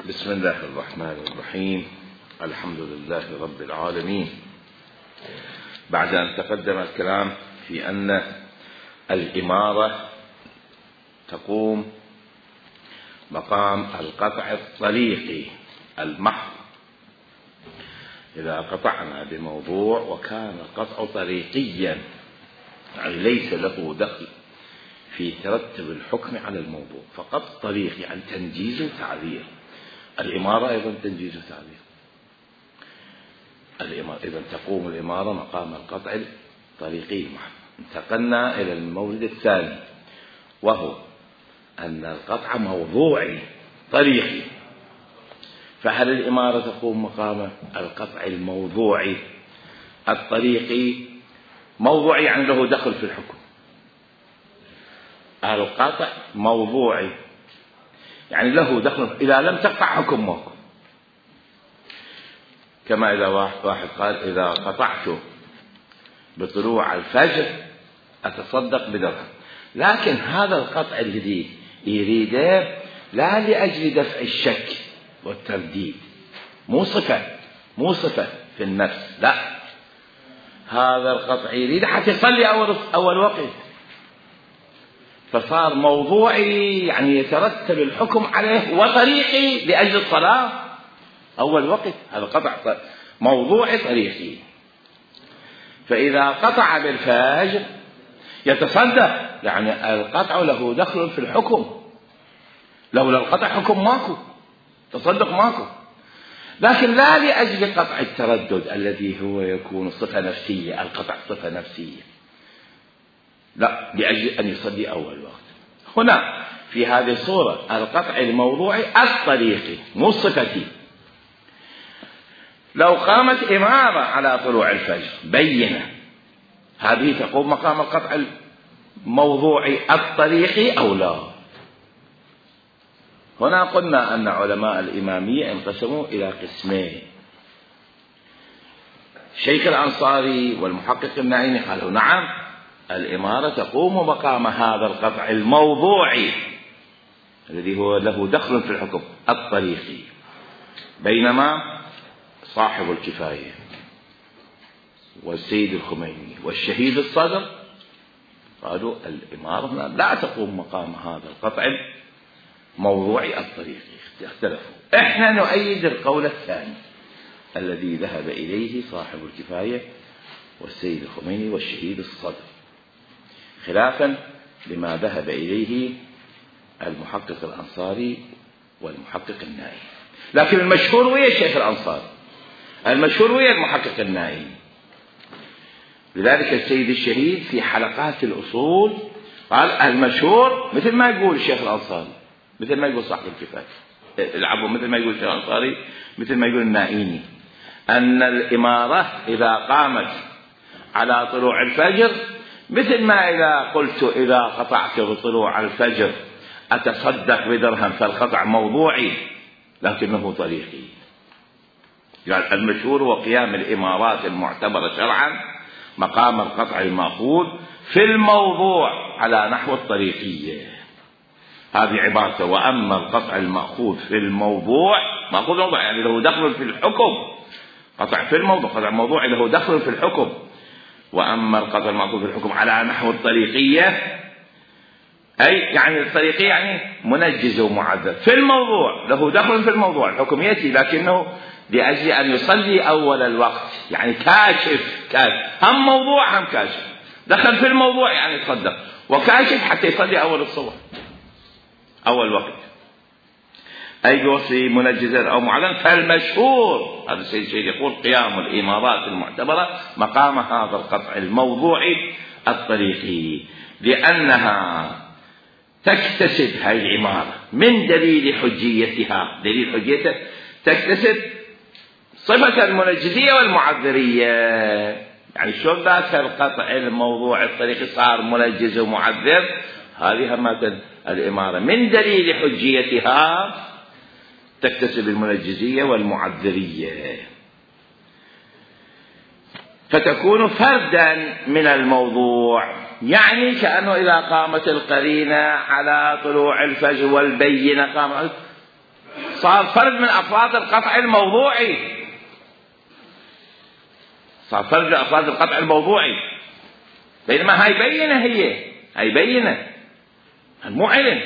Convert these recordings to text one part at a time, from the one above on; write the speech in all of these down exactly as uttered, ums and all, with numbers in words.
بسم الله الرحمن الرحيم. الحمد لله رب العالمين. بعد أن تقدم الكلام في أن الإمارة تقوم مقام القطع الطريقي المحض، إذا قطعنا بموضوع وكان القطع طريقيا يعني ليس له دخل في ترتب الحكم على الموضوع، فقط طريق يعني تنجيز وتعذير. الإمارة أيضا تنجيز وتعذير. الإمارة إذا تقوم الإمارة مقام القطع الطريقي المحض. انتقلنا إلى المورد الثاني، وهو أن القطع موضوعي طريقي، فهل الإمارة تقوم مقام القطع الموضوعي الطريقي؟ موضوعي يعني له دخل في الحكم. القطع موضوعي يعني له دخل، إذا لم تقطع حكم موقف، كما إذا واحد قال إذا قطعت بطلوع الفجر أتصدق بدرهم، لكن هذا القطع الذي يريده لا لأجل دفع الشك والترديد، مو صفة مو صفة في النفس، لا، هذا القطع يريد حتى يصلي أول أول وقت، فصار موضوعي يعني يترتب الحكم عليه، وطريقي لأجل الصلاة أول وقت. هذا قطع موضوعي طريقي. فإذا قطع بالفجر يتصدق، يعني القطع له دخل في الحكم، لولا القطع حكم ماكو، تصدق ماكو، لكن لا لأجل قطع التردد الذي هو يكون صفة نفسية، القطع صفة نفسية، لا، لأجل أن يصلي أول وقت. هنا في هذه الصورة القطع الموضوعي الطريقي مو صفتي. لو قامت إمارة على طلوع الفجر بينة، هذه تقوم مقام القطع الموضوعي الطريقي أو لا؟ هنا قلنا أن علماء الإمامية انقسموا إلى قسمين. شيخ الأنصاري والمحقق النعيمي قالوا نعم، الإمارة تقوم مقام هذا القطع الموضوعي الذي هو له دخل في الحكم الطريقي، بينما صاحب الكفاية والسيد الخميني والشهيد الصدر قالوا الإمارة لا تقوم مقام هذا القطع الموضوعي الطريقي، اختلفوا. احنا نؤيد القول الثاني الذي ذهب إليه صاحب الكفاية والسيد الخميني والشهيد الصدر، خلافا لما ذهب إليه المحقق الأنصاري والمحقق النائي. لكن المشهور ويا الشيخ الأنصاري، المشهور ويا المحقق النائي. لذلك السيد الشهيد في حلقات الأصول قال المشهور مثل ما يقول الشيخ الأنصاري، مثل ما يقول صاحب الكفاية، العفو، مثل ما يقول الشيخ الأنصاري، مثل ما يقول النائيني، أن الإمارة إذا قامت على طلوع الفجر مثل ما إذا قلت إذا قطعت بطلوع الفجر أتصدق بدرهم، فالقطع موضوعي لكنه طريقي. يعني المشهور وقيام الإمارات المعتبرة شرعا مقام القطع المأخوذ في الموضوع على نحو الطريقية. هذه عبارته: وأما القطع المأخوذ في الموضوع، مأخوذ موضوع يعني له دخل في الحكم، قطع في الموضوع، قطع الموضوع له دخل في الحكم. وأما القطع المأخوذ في الحكم على نحو الطريقية، أي يعني الطريقية يعني منجز ومعذب، في الموضوع له دخل في الموضوع، الحكم يأتي لكنه لأجل أن يصلي أول الوقت، يعني كاشف كاشف هم موضوع هم كاشف، دخل في الموضوع يعني يتصدق، وكاشف حتى يصلي أول الصبح أول وقت، أي بوصي منجزا أو معلن. فالمشهور هذا السيد الشهيد يقول قيام الإمارات المعتبرة مقام هذا القطع الموضوعي الطريقي، لأنها تكتسب هذه العمارة من دليل حجيتها، دليل حجيتها تكتسب صفة المنجزية والمعذرية. يعني شو ذاك القطع الموضوع الطريقي صار منجز ومعذر؟ هذه همة الإمارة من دليل حجيتها تكتسب المنجزية والمعذرية، فتكون فردا من الموضوع. يعني كأنه إذا قامت القرينة على طلوع الفجر والبينة قامت صار فرد من أفراد القطع الموضوعي، صار فرد من أفراد القطع الموضوعي. بينما هاي بينة، هي هاي بينة مو علم،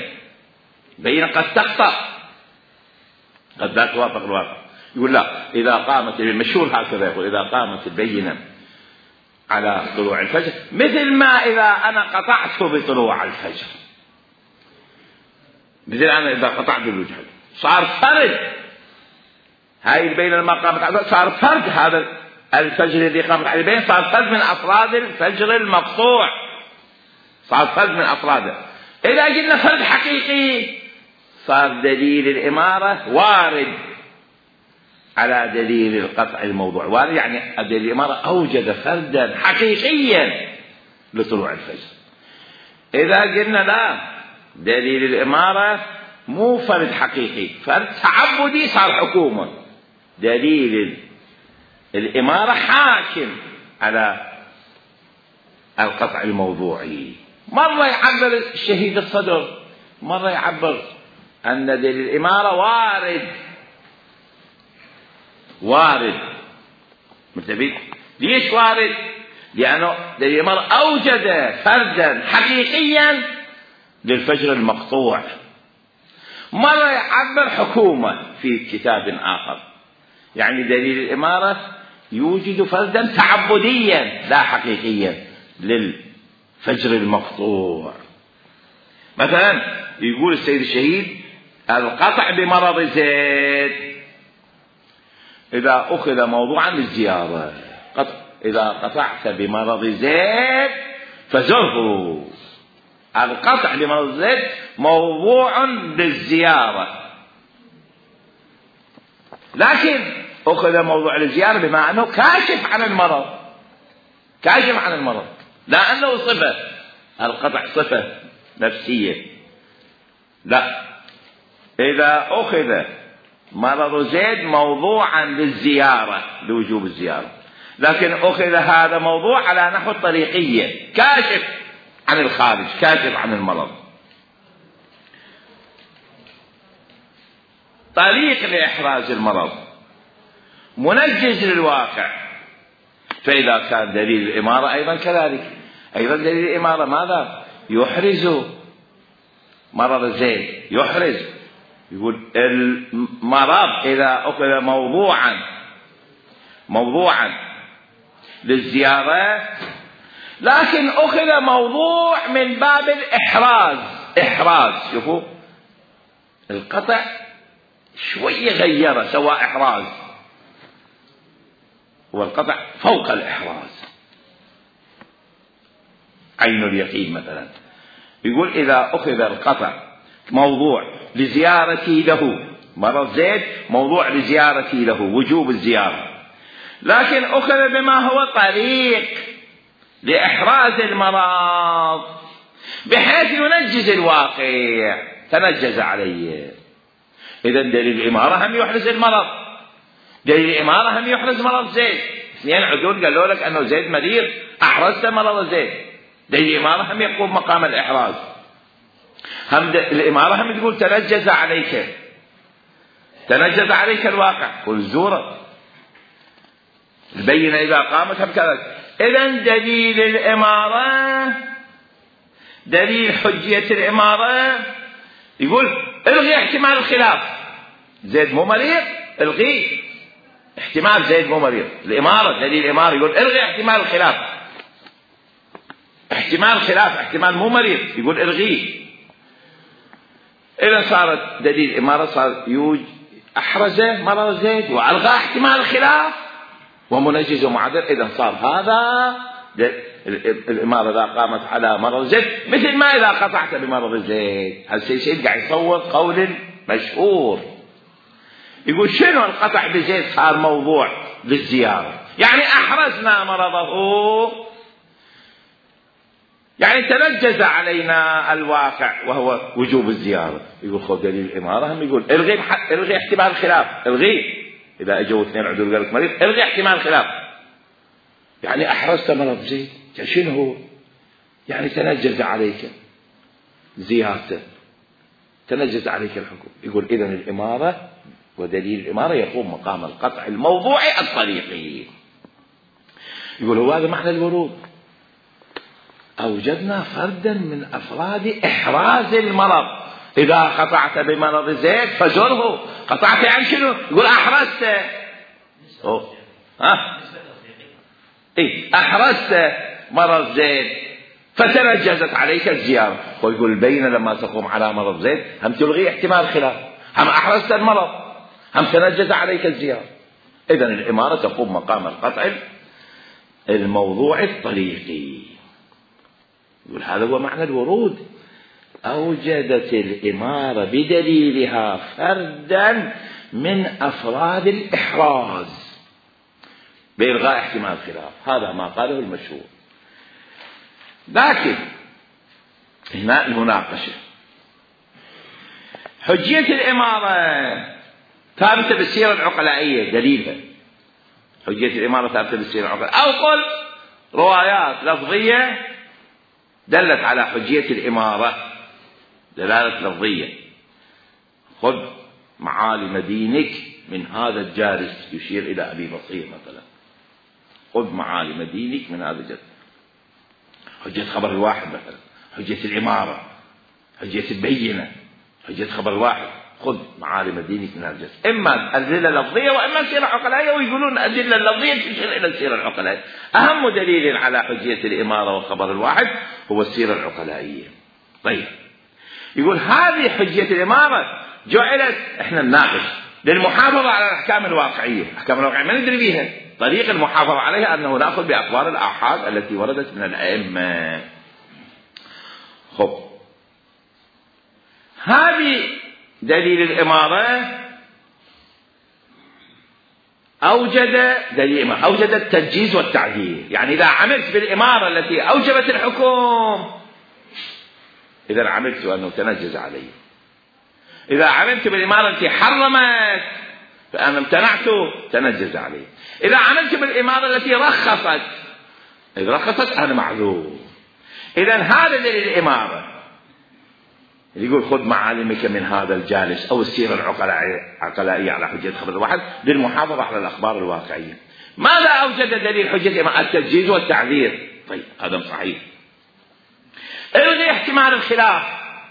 بينة قد تخطأ، قد لا توافق الواقع. يقول لا، إذا قامت المشهور هكذا يقول إذا قامت البينة على طلوع الفجر مثل ما إذا أنا قطعت بطلوع الفجر، مثل أنا إذا قطعت بالوجه صار فرد. هاي البينة لما قامت على صار فرد، هذا الفجر الذي قامت عليه البينة صار فرد من أفراد الفجر المقطوع، صار فرد من أفراده. إذا قلنا فرد حقيقي صار دليل الإمارة وارد على دليل القطع الموضوع، وارد يعني دليل الإمارة أوجد فردا حقيقيا لطلوع الفجر. إذا قلنا لا، دليل الإمارة مو فرد حقيقي، فرد تعبدي صار حكومة، دليل الإمارة حاكم على القطع الموضوعي. مرة يعبر الشهيد الصدر، مرة يعبر أن دليل الإمارة وارد وارد متفق. ليش وارد؟ لأنه دليل الإمارة أوجد فردا حقيقيا للفجر المقطوع. مرة يعبر حكومة في كتاب آخر، يعني دليل الإمارة يوجد فردا تعبديا لا حقيقيا للفجر المقطوع. مثلا يقول السيد الشهيد القطع بمرض زيد إذا أخذ موضوعا للزيارة، قطع إذا قطعت بمرض زيد فزره. القطع بمرض زيد موضوع للزيارة، لكن أخذ موضوع للزيارة بما أنه كاشف عن المرض، كاشف عن المرض لا أنه صفة، القطع صفة نفسية. لا، إذا أخذ مرض زيد موضوعا للزيارة لوجوب الزيارة، لكن أخذ هذا موضوع على نحو الطريقية، كاشف عن الخارج، كاشف عن المرض، طريق لإحراز المرض، منجز للواقع. فإذا كان دليل الإمارة أيضا كذلك، أيضا دليل الإمارة ماذا؟ يحرز مرض زيد، يحرز. يقول المرض إذا أخذ موضوعا موضوعا للزيارة، لكن أخذ موضوع من باب الإحراز، إحراز. شوفوا القطع شوية غيره، سوى إحراز، والقطع فوق الإحراز، عين اليقين مثلا. يقول إذا أخذ القطع موضوع لزيارتي له، مرض زيد موضوع لزيارتي له وجوب الزيارة، لكن أخذ بما هو طريق لإحراز المرض بحيث ينجز الواقع، تنجز عليه. إذا دليل الإمارة هم يحرز المرض، دليل الإمارة هم يحرز مرض زيد. اثنين عدول قالوا لك أنه زيد مريض، أحرزت مرض زيد، دليل الإمارة هم يقوم مقام الإحراز. هم الإمارة هم تقول تنجز عليك، تنجز عليك الواقع، قل زورة البينة إذا قامت هم كذلك. إذن دليل الإمارة، دليل حجية الإمارة يقول الغي احتمال الخلاف، زيد مو مريض الغي احتمال زيد مو مريض. الإمارة دليل الإمارة يقول الغي احتمال الخلاف، احتمال خلاف احتمال مو مريض يقول الغيه. إذا صارت دليل الإمارة صار يوج أحرزه مرض زيد وألغى احتمال الخلاف ومنجز ومعدل. إذا صار هذا الإمارة إذا قامت على مرض زيد مثل ما إذا قطعت بمرض زيد. هالسيد قاعد يصور قول مشهور يقول شنو القطع بزيد صار موضوع للزيارة، يعني أحرزنا مرضه، يعني تنجز علينا الواقع وهو وجوب الزيارة. يقول خذ دليل الإمارة هم يقول الغي الغي احتمال الخلاف، الغي إذا أجوا اثنين عدول قالك مريض الغي احتمال الخلاف، يعني أحرزت مرض زيد شنو هو؟ يعني تنجز عليك زيارته، تنجز عليك الحكم. يقول إذن الإمارة ودليل الإمارة يقوم مقام القطع الموضوعي الطريقي. يقول هو هذا معنى الورود. أوجدنا فردا من أفراد إحراز المرض. إذا قطعت بمرض زيد فزره. قطعت عن شنو؟ يقول أحرزت. أوه. ها؟ إيه أحرزت مرض زيد فتنجزت عليك الزيارة. ويقول البينة لما تقوم على مرض زيد هم تلغي احتمال خلاف، هم أحرزت المرض، هم تنجز عليك الزيارة. إذن الإمارة تقوم مقام القطع الموضوع الطريقي. يقول هذا هو معنى الورود. أوجدت الإمارة بدليلها فردا من أفراد الإحراز بإلغاء احتمال خلاف. هذا ما قاله المشهور. لكن هنا المناقشة. حجية الإمارة ثابتة بالسيرة العقلائية. دليلها حجية الإمارة ثابتة بالسيرة العقلائية، أو قل روايات لفظية دلت على حجية الإمارة دلالة لفظية. خذ معالم دينك من هذا الجالس، يشير إلى أبي بصير مثلا. خذ معالم دينك من هذا الجالس. حجية خبر الواحد مثلا، حجية الإمارة، حجية البينة، حجية خبر الواحد. خذ معالم دينك من هذا الجالس. إما أدلة لفظية وإما سيرة عقلائية، ويقولون أدلة لفظية تشير إلى السيرة العقلائية. أهم دليل على حجية الإمارة وخبر الواحد هو السيرة العقلائية. طيب يقول هذه حجية الإمارة جعلت، احنا نناقش للمحافظة على الأحكام الواقعية. الأحكام الواقعية ما ندري بها. طريق المحافظة عليها أنه نأخذ بأخبار الآحاد التي وردت من الأئمة. خب هذه دليل الإمارة أوجد دليل الإمارة أوجد التنجيز والتعديل. يعني إذا عملت بالإمارة التي أوجبت الحكم إذا عملت أنه تنجز علي. إذا عملت بالإمارة التي حرمت فأنا امتنعت تنجز علي. إذا عملت بالإمارة التي رخصت إذا رخصت أنا معذور. إذا هذا دليل الإمارة اللي يقول خذ معالمك من هذا الجالس أو السيرة العقلائية على حجة خبر الواحد للمحافظة على الأخبار الواقعية. ماذا أوجد دليل حجة الإمارة؟ التنجيز والتعذير. طيب هذا صحيح. الغي احتمال الخلاف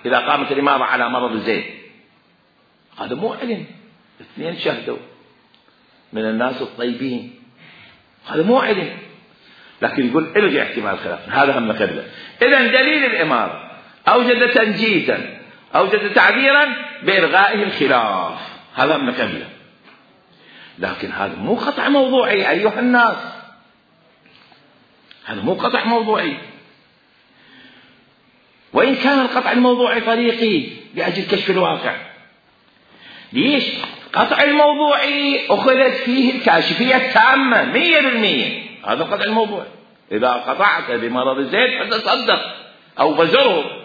إذا قامت الإمارة على مرض زيد. هذا مو علم، اثنين شهدوا من الناس الطيبين، هذا مو علم. لكن يقول الغي احتمال الخلاف، هذا هم قبله. إذن دليل الإمارة أوجد تنجيزا أوجد تعذيرا بإلغائه الخلاف، هذا هم قبله. لكن هذا مو قطع موضوعي أيها الناس، هذا مو قطع موضوعي. وإن كان القطع الموضوعي طريقي لأجل كشف الواقع. ليش؟ قطع الموضوعي أخذت فيه الكاشفية التامة مية بالمية. هذا قطع الموضوع. إذا قطعت بمرض زيد فتصدق أو بزره.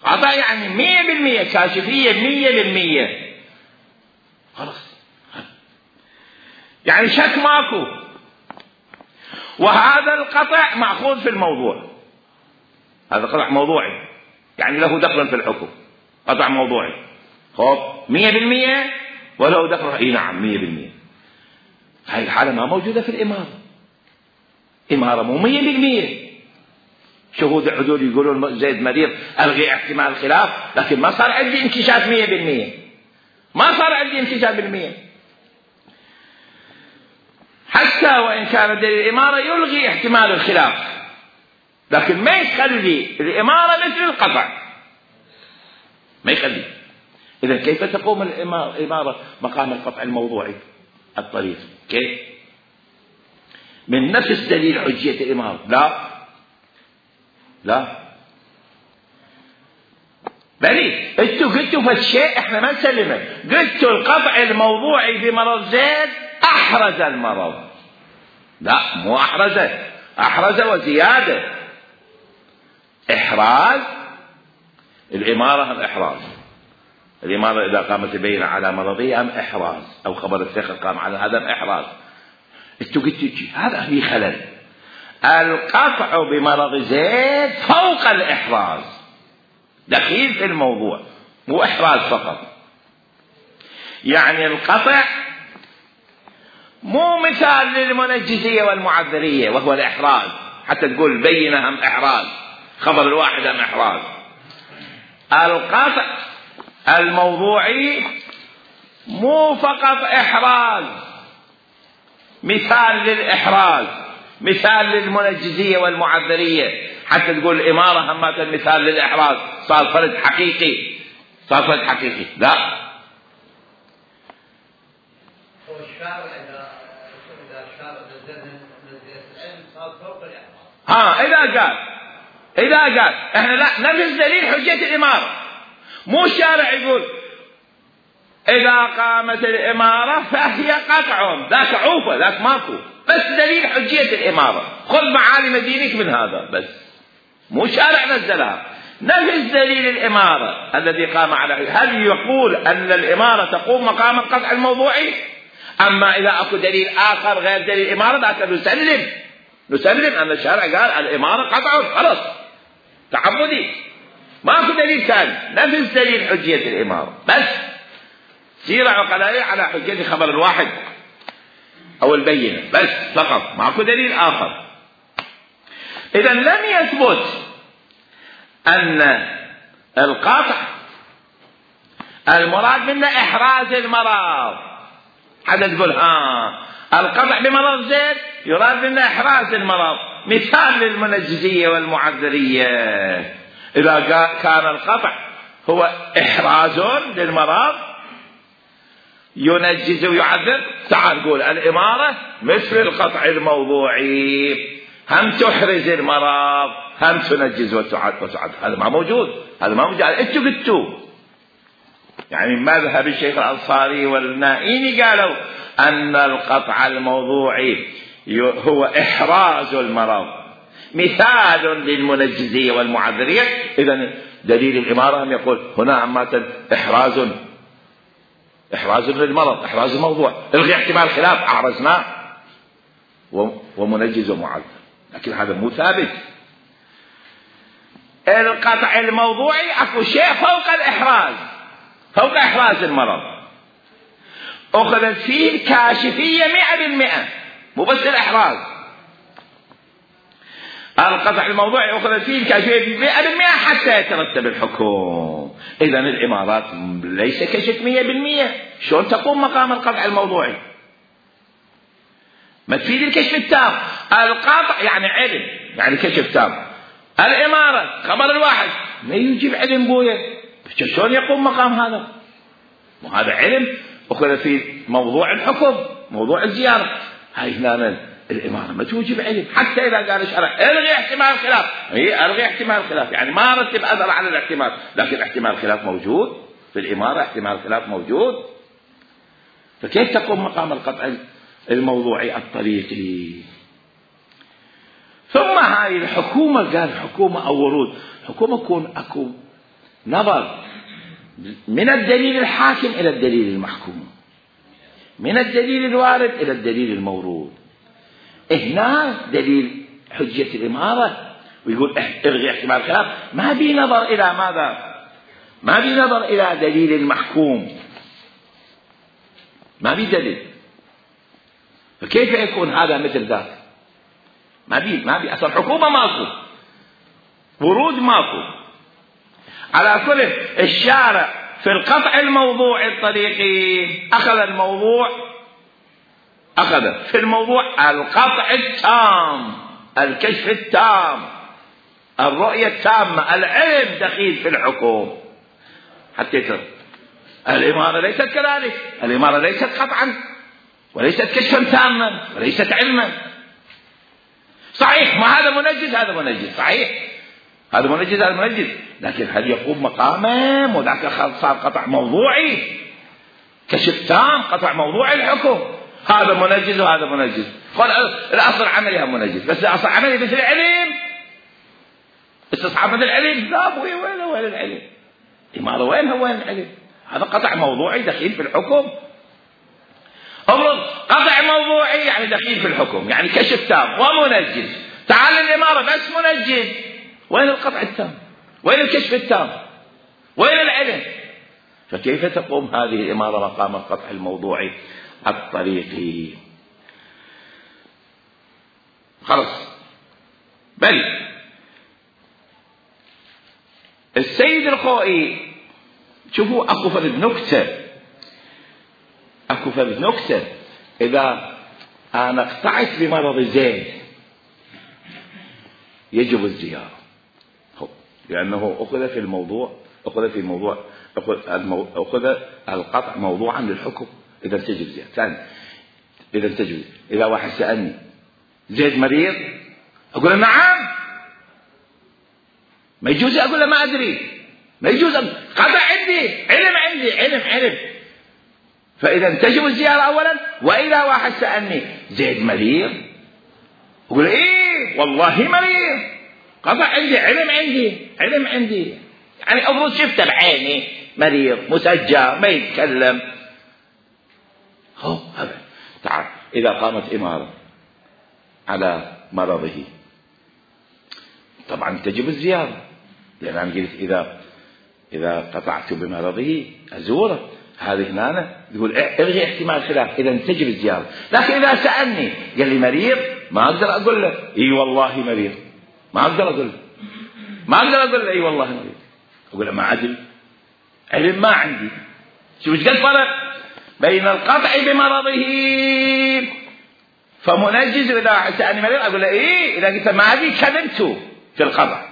قطع يعني مية بالمية كاشفية مية بالمية. خلاص يعني شك ماكو. وهذا القطع مأخوذ في الموضوع. هذا قطع موضوعي يعني له دخل في الحكم. قطع موضوعي خب مية بالمية وله دخل. اي نعم مية بالمية. هاي الحالة ما موجودة في الإمارة. إمارة مو مية بالمية. شهود العدول يقولون زيد مريض ألغي احتمال الخلاف، لكن ما صار عندي انكشاف مية بالمية. ما صار عندي انكشاف بالمية. حتى وإن كان دليل الإمارة يلغي احتمال الخلاف، لكن ما يخلي الإمارة مثل القطع، ما يخلي. إذا كيف تقوم الإمارة مقام القطع الموضوعي الطريق؟ كيف؟ من نفس دليل حجية الإمارة؟ لا لا بلي انتوا قلتوا فالشيء احنا ما نسلمه. قلتوا القطع الموضوعي بمرض زيد أحرز المرض. لا مو أحرز، أحرز وزيادة. إحراز الإمارة هم إحراز. الإمارة إذا قامت تبين على مرضية هم إحراز، أو خبر الثقة قام على هذا هم إحراز. انتوا قلتوا هذا في خلل. القطع بمرض زيد فوق الإحراز، دخيل في الموضوع، مو إحراز فقط. يعني القطع مو مثال للمنجزية والمعذرية وهو الإحراز، حتى تقول بينة هم إحراز، خبر الواحد هم إحراز. القطع الموضوعي مو فقط إحراز، مثال للإحراز، مثال للمنجزية والمعذرية، حتى تقول الإمارة هم مثال للإحراز، صار فرد حقيقي، صار فرد حقيقي. لا، هو الشارع إذا إذا الشارع نزل منزلة العلم صار فوق الإحراز. ها إذا قال إذا قال إحنا لا نفس دليل حجة الإمارة، مو الشارع يقول إذا قامت الإمارة فهي قطع، ذاك عوفة، ذاك ماكو، بس دليل حجية الإمارة، خذ معالم دينك من هذا بس، مو شارع نزلها، نفس دليل الإمارة الذي قام عليه. هل يقول أن الإمارة تقوم مقام القطع الموضوعي؟ أما إذا أكو دليل آخر غير دليل الإمارة ذاك نسلم نسلم أن الشارع قال الإمارة قطع، خلاص تعبدي، ماكو دليل ثاني، نفس دليل حجية الإمارة، بس سيرة عقلائية على حجية خبر الواحد أو البينة بس فقط، ماكو دليل آخر. إذا لم يثبت أن القطع المراد منه إحراز المرض، حتى تقول ها القطع بمرض زيد يراد منه إحراز المرض، مثال للمنجزية والمعذرية. إذا كان القطع هو إحراز للمرض ينجز ويعذر، تعال قول الإمارة مثل القطع الموضوعي، هم تحرز المرض هم تنجز وتعذر. هذا ما موجود، هذا ما موجود. انتوا قلتوا يعني مذهب الشيخ الأنصاري والنائيني قالوا أن القطع الموضوعي هو إحراز المرض مثال للمنجزية والمعذرية. إذن دليل الإمارة هم يقول هنا عامة إحراز إحراز للمرض، إحراز الموضوع، الغي احتمال خلاف أعرزناه ومنجز ومعذر، لكن هذا مو ثابت. القطع الموضوعي أكو شيء فوق الإحراز، فوق إحراز المرض، أخذت فيه الكاشفية مئة بالمئة، مو بس الإحراز. القطع الموضوعي أخذت فيه الكاشفية مئة بالمئة حتى يترتب الحكم. إذن الإمارات ليس كشف مئة بالمئة، شلون تقوم مقام القطع الموضوعي؟ ما تفيد الكشف التام. القطع يعني علم، يعني كشف تام. الإمارة خبر الواحد ما يجيب علم بويه، شلون يقوم مقام هذا؟ وهذا علم أخذ في موضوع الحكم، موضوع الزيارة. هاي هنا الإمارة ما توجب علم، حتى إذا قال الشرع الغي احتمال الخلاف، هي الغي احتمال الخلاف، يعني ما رتب أثر على الاحتمال، لكن احتمال الخلاف موجود في الإمارة، احتمال الخلاف موجود. فكيف تقوم مقام القطع الموضوعي الطريقي؟ ثم هاي الحكومة، قال حكومة أو ورود، حكومة يكون أكو نظر من الدليل الحاكم إلى الدليل المحكوم، من الدليل الوارد إلى الدليل المورود. هنا دليل حجة الإمارة ويقول الغي احتمال الخلاف، ما بي نظر إلى ماذا؟ ما بي نظر إلى دليل المحكوم، ما بي دليل. فكيف يكون هذا مثل ذاك؟ ما بي ما بي أصل حكومة ماكو، ورود ماكو. على كل الشارع في القطع الموضوعي الطريقي أخذ الموضوع، أخذ في الموضوع القطع التام، الكشف التام، الرؤية التامة، العلم دخيل في الحكم. حتى ترى الإمارة ليست كذلك، الإمارة ليست قطعا وليست كشفا تاما وليست علما. صحيح ما هذا منجز هذا منجز، صحيح هذا منجز هذا منجز، لكن هل يقوم مقامه؟ وذاك صار قطع موضوعي، كشف تام، قطع موضوعي الحكم. هذا منجز وهذا منجز، قال الأصل عملي هم منجز، بس الأصل عملي مثل العلم، استصحاب مثل العلم، لا أبوي وين وين العلم؟ إمارة وين هو وين العلم؟ هذا قطع موضوعي دخيل في الحكم. أمر قطع موضوعي يعني دخيل في الحكم، يعني كشف تام ومنجز. تعال الإمارة بس منجز، وين القطع التام؟ وين الكشف التام؟ وين العلم؟ فكيف تقوم هذه الإمارة مقام القطع الموضوعي الطريقي؟ خلص. بل السيد الخوئي شوفوا اكو فرد نكتة اكو فرد نكتة اذا انا اقطعت بمرض زيد يجب الزيارة، لانه اخذ في الموضوع اخذ في موضوع اخذ القطع موضوعا للحكم. اذا تجب زيارة. ثاني اذا تجب اذا واحد سألني زيد مريض اقول له نعم، ما يجوز اقول له ما ادري، ما يجوز قطع عندي علم عندي علم علم. فاذا تجب الزيارة اولا. واذا واحد سألني زيد مريض اقول له ايه والله مريض، قطع عندي علم عندي علم عندي، يعني افرض شفته بعيني مريض مسجى ما يتكلم. هو هذا. تعال اذا قامت امارة على مرضه طبعا تجب الزيارة، لأن أنا قلت إذا إذا قطعت بمرضه أزوره. هذه هنا يقول الغي احتمال خلاف، إذا تجب الزيارة. لكن إذا سألني قال لي مريض ما أقدر أقول له إي والله مريض، ما أقدر أقول له ما أقدر أقول له إي والله مريض، أقول له ما أدري علم ما عندي. شوف ايش قد فرق بين القطع بمرضه فمنجز. إذا سألني مريض أقول له إيه، إذا قلت ما أدري كذبت في القطع.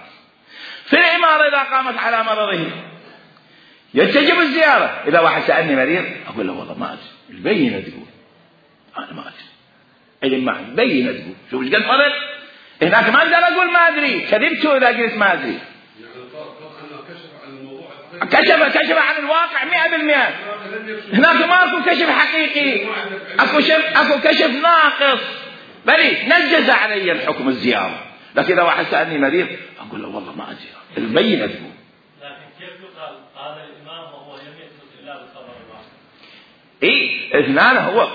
في الإمارة إذا قامت على مرضه يتجب الزيارة. إذا واحد سألني مريض أقول له والله ما أدري، البينة تقول أنا ما أدري علم ما عندي، بينة تقول. شوف ايش قد فرق. هناك ما أقدر أقول ما أدري، كذبت إذا قلت ما أدري. كشف كشف عن الواقع مئة بالمئة. هناك ما أكو كشف حقيقي، أكو كشف أكو كشف ناقص. بلي نجز علي الحكم الزيارة. لكن إذا واحد سألني مريض أقول له والله ما أدري، البينة تقول. لكن كيف يقال قال الإمام وهو لم يثبت إلا بالخبر الواحد؟ إيه اثنان. هو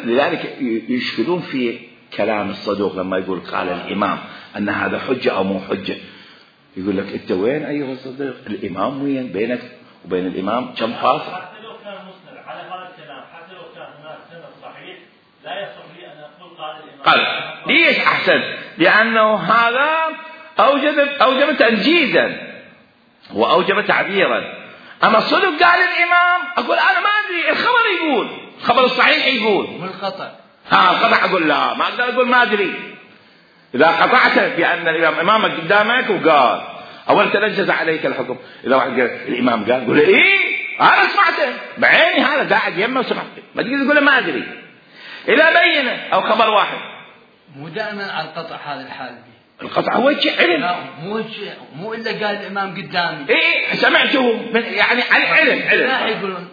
لذلك يشكلون في كلام الصدوق لما يقول قال الإمام أن هذا حجة أو مو حجة. يقول لك أنت وين أيها الصديق؟ الإمام وين؟ بينك وبين الإمام كم فاصل؟ حتى لو كان مسند على هذا الكلام، حتى لو كان هناك سند صحيح لا يصح لي أن أقول قال الإمام. قال ليش أحسن؟ لأنه هذا أوجب أوجب تنجيزا وأوجب تعبيرا. أما الصدق قال الإمام أقول أنا ما أدري، الخبر يقول، الخبر الصحيح يقول. والقطع ها القطع أقول لا، ما أقدر أقول ما أدري. إذا قطعت بأن الإمام إمامك قدامك وقال أول تنجز عليك الحكم. إذا واحد قال الإمام قال قول إيه أنا سمعته بعيني، هذا قاعد يمه وسمعته، ما تقدر تقول ما أدري. إذا بينه أو خبر واحد مو دائما على القطع هذا الحال دي. القطع هو شيء علم. لا مو شيء مو إلا قال الإمام قدامي. إيه سمعته من يعني على علم علم. لا يقولون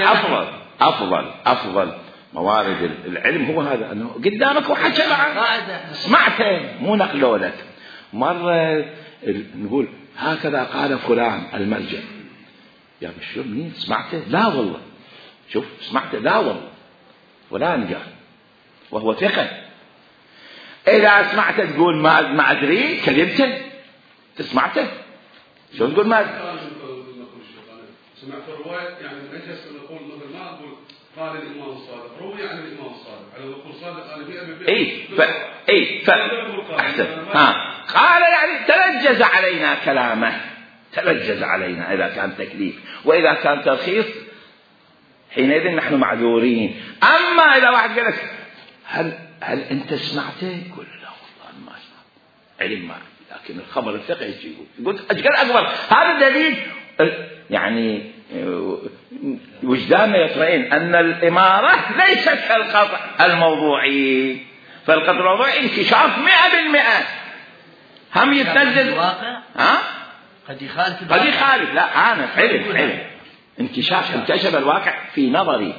أفضل أفضل أفضل موارد العلم هو هذا، أنه قدامك وحكى معك سمعته مو نقله لك. مرة نقول هكذا قال فلان المرجع، يا شو مين سمعته؟ لا والله. شوف سمعته؟ لا والله فلان قال وهو ثقة. إذا سمعته تقول ما ما أدري، كذبته. تسمعته شو تقول ما سمعت الرواية، يعني أجلس نقول مثل ما أقول قال الإمام الصادق، روي عن الإمام الصادق، على نقول صادق قال مئة بالمئة. إيه ف إيه ف أحسن. ها قال يعني تلجز علينا كلامه، تلجز علينا إذا كان تكليف. وإذا كان ترخيص حينئذ نحن معذورين. أما إذا واحد قال لك هل هل أنت سمعته؟ يقول لا والله ما سمعت، علم ما، لكن الخبر الثقة يقول يقول أجل أكبر. هذا دليل يعني وجداننا يطمئن أن الإمارة ليست كالقطع الموضوعي. فالقطع الموضوعي انكشاف مئة بالمئة، هم يتنزل الواقع. ها قد يخالف قد يخالف. لا أنا علم علم انكشاف انكشف الواقع في نظري.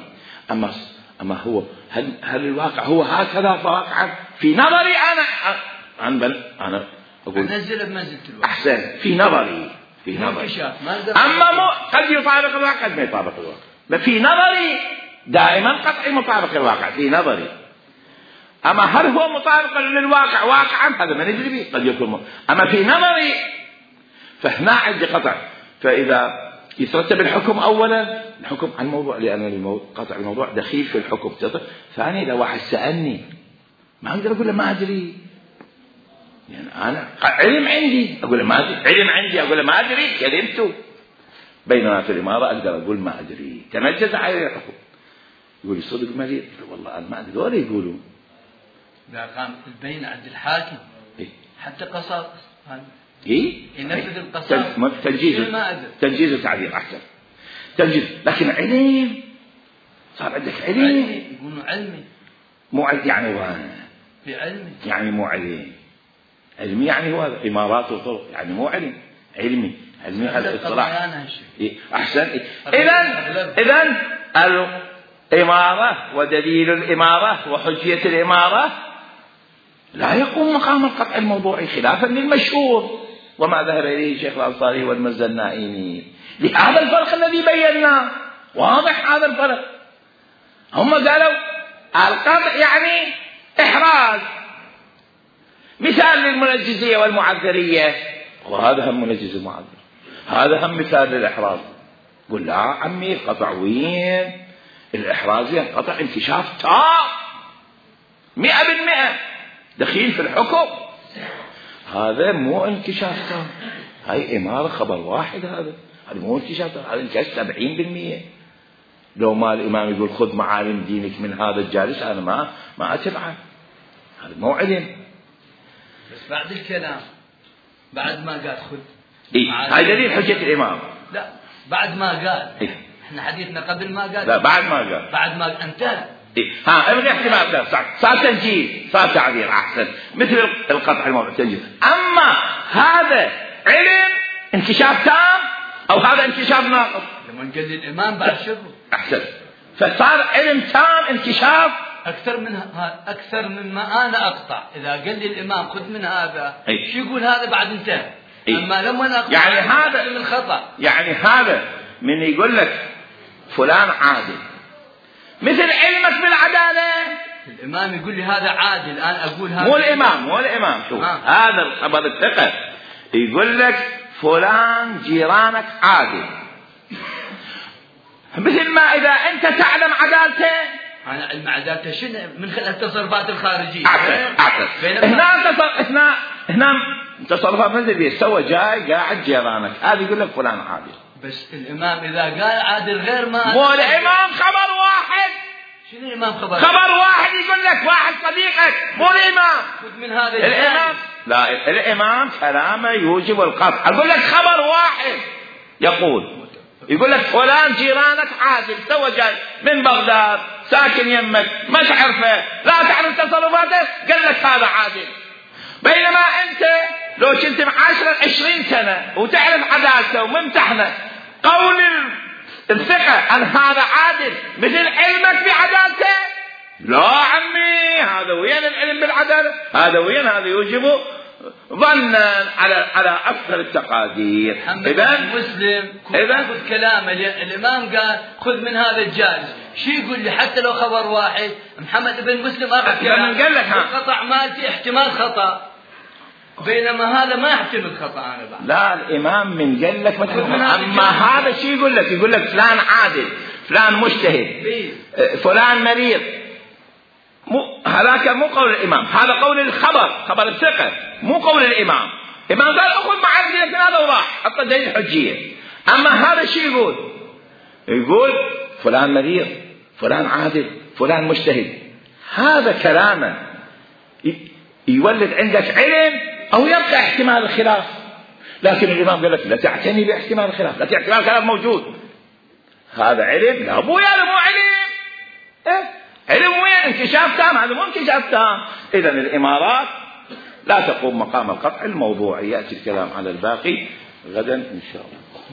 أما أما هو هل هل الواقع هو هكذا واقعا في نظري أنا عن بل أنا أقول نزل بمنزلة الواقع. أحسن في نظري في نظري. أما مو قد يطابق الواقع قد ما يطابق الواقع. في نظري دائما قطعي مطابق الواقع في نظري. أما هل هو مطابق للواقع واقعا هذا ما ندري به، قد يكون. أما في نظري فهنا عندي قطع. فإذا يترتب الحكم أولا، الحكم عن الموضوع، لأن قطع الموضوع دخيل في الحكم. ثانيا لو واحد سألني ما أقدر أقول له ما أدري، يعني أنا علم عندي أقول له ما أدري، علم عندي أقول له ما أدري كلمته. بينما في الإمارة أقدر أقول ما أدري، تنجز عليه الحكم. يقول لي صدق مريض، والله أنا ما أدري، ولا يقولوا إذا كان البين عند الحاكم إيه؟ حتى قصاص إيه؟ ينفذ القصاص تنجيز تنجيز وتعديل أحسن تنجيز. لكن علم صار عندك علم، يقولوا علمي مو يعني هو في علمي، يعني مو علم علمي، يعني هو إمارات وطرق، يعني مو علم علمي علمي هذا الاصطلاح. إيه؟ أحسن. إذن إذن الإمارة ودليل الإمارة وحجية الإمارة لا يقوم مقام القطع الموضوعي خلافا للمشهور وما ذهب إليه الشيخ الأنصاري والمزنائيني. لهذا الفرق الذي بيناه واضح، هذا الفرق. هم قالوا القطع يعني إحراز، مثال للمنجزية والمعذرية، وهذا هم منجز المعذر، هذا هم مثال للإحراز. قل لا عمي القطع وين؟ الإحراز قطع انكشاف تام مئة بالمئة دخيل في الحكم، هذا مو انكشاف تام، هاي إمارة خبر واحد، هذا هذا مو انكشاف تام، هذا انكشاف سبعين بالمئة. لو ما الإمام يقول خذ معالم دينك من هذا الجالس أنا ما ما أتبعه، هذا مو علم. بس بعد الكلام بعد ما قال خذ إيه؟ هاي دليل حجة الإمام. لا بعد ما قال إيه؟ احنا حديثنا قبل ما قال، لا بعد ما قال، بعد ما انتهى. إيه؟ ها ابغي احتمال صار صار تنجيل، صار تعبير أحسن، مثل القطع الموضوع تنجيل. أما هذا علم انكشاف تام أو هذا انكشاف ناقص؟ لما قال الإمام بعد شبه أحسن، فصار علم تام انكشاف أكثر من أكثر مما أنا أقطع. إذا قال لي الإمام خذ من هذا أي. شو يقول هذا بعد انتهى. أي. أما لما أقطع يعني هذا من خطأ، يعني هذا من يقول لك فلان عادل مثل علمك بالعدالة. الإمام يقول لي هذا عادل، أنا أقول هذا مو الإمام مو الإمام شوف آه. هذا الخبر الثقة يقول لك فلان جيرانك عادل، مثل ما إذا أنت تعلم عدالته. أنا علم عدالته شنو؟ من خلال التصرفات الخارجية. أعتقد أعتقد هنا تصرف هنا هنا تصرفات مثل سوى جاي قاعد جيرانك، هذا يقول لك فلان عادل. بس الإمام إذا قال عادل غير ما مو الإمام خبر واحد. شنو الإمام خبر؟ خبر واحد يقول لك واحد صديقك، مو الإمام. خذ من هذا الإمام. لا الإمام كلامه يوجب القطع. أقول لك خبر واحد يقول يقول لك فلان جيرانك عادل، سوى جاي من بغداد ساكن يمك مش عرفه لا تعرف تصرفاته، قال لك هذا عادل. بينما أنت لو كنت عشرة عشرين سنة وتعرف عدالته وممتحنه، قول الثقة أن هذا عادل مثل علمك بعدالته؟ لا عمي، هذا وين العلم بالعدالة؟ هذا وين؟ هذا يوجب ظنا على على أكثر التقادير. إذا مسلم إذا خذ كلامه، الإمام قال خذ من هذا الجالس، شو يقول لي حتى لو خبر واحد؟ محمد بن مسلم أخذ كلام قال لك القطع مالتي احتمال خطأ، بينما هذا ما يحتمل خطأ. أنا بعد لا الإمام من قال لك مثلا، أما هذا شو يقول لك؟ يقول لك فلان عادل، فلان مجتهد، فلان مريض. مو هذاك مو قول الإمام، هذا قول الخبر، خبر الثقة، مو قول الإمام. الإمام قال أخذ معك لكن هذا وراح حتى دليل حجية. أما هذا شو يقول؟ يقول فلان مريض، فلان عادل، فلان مجتهد. هذا كلامه يولد عندك علم أو يبقى احتمال الخلاف. لكن الإمام قال لك لا تعتني باحتمال الخلاف، لا احتمال الخلاف موجود. هذا علم؟ لا مو هذا مو علم. إيه؟ علم وين؟ انكشاف تام، هذا مو انكشاف تام. إذن الإمارات لا تقوم مقام القطع الموضوعي. يأتي الكلام على الباقي غدا إن شاء الله.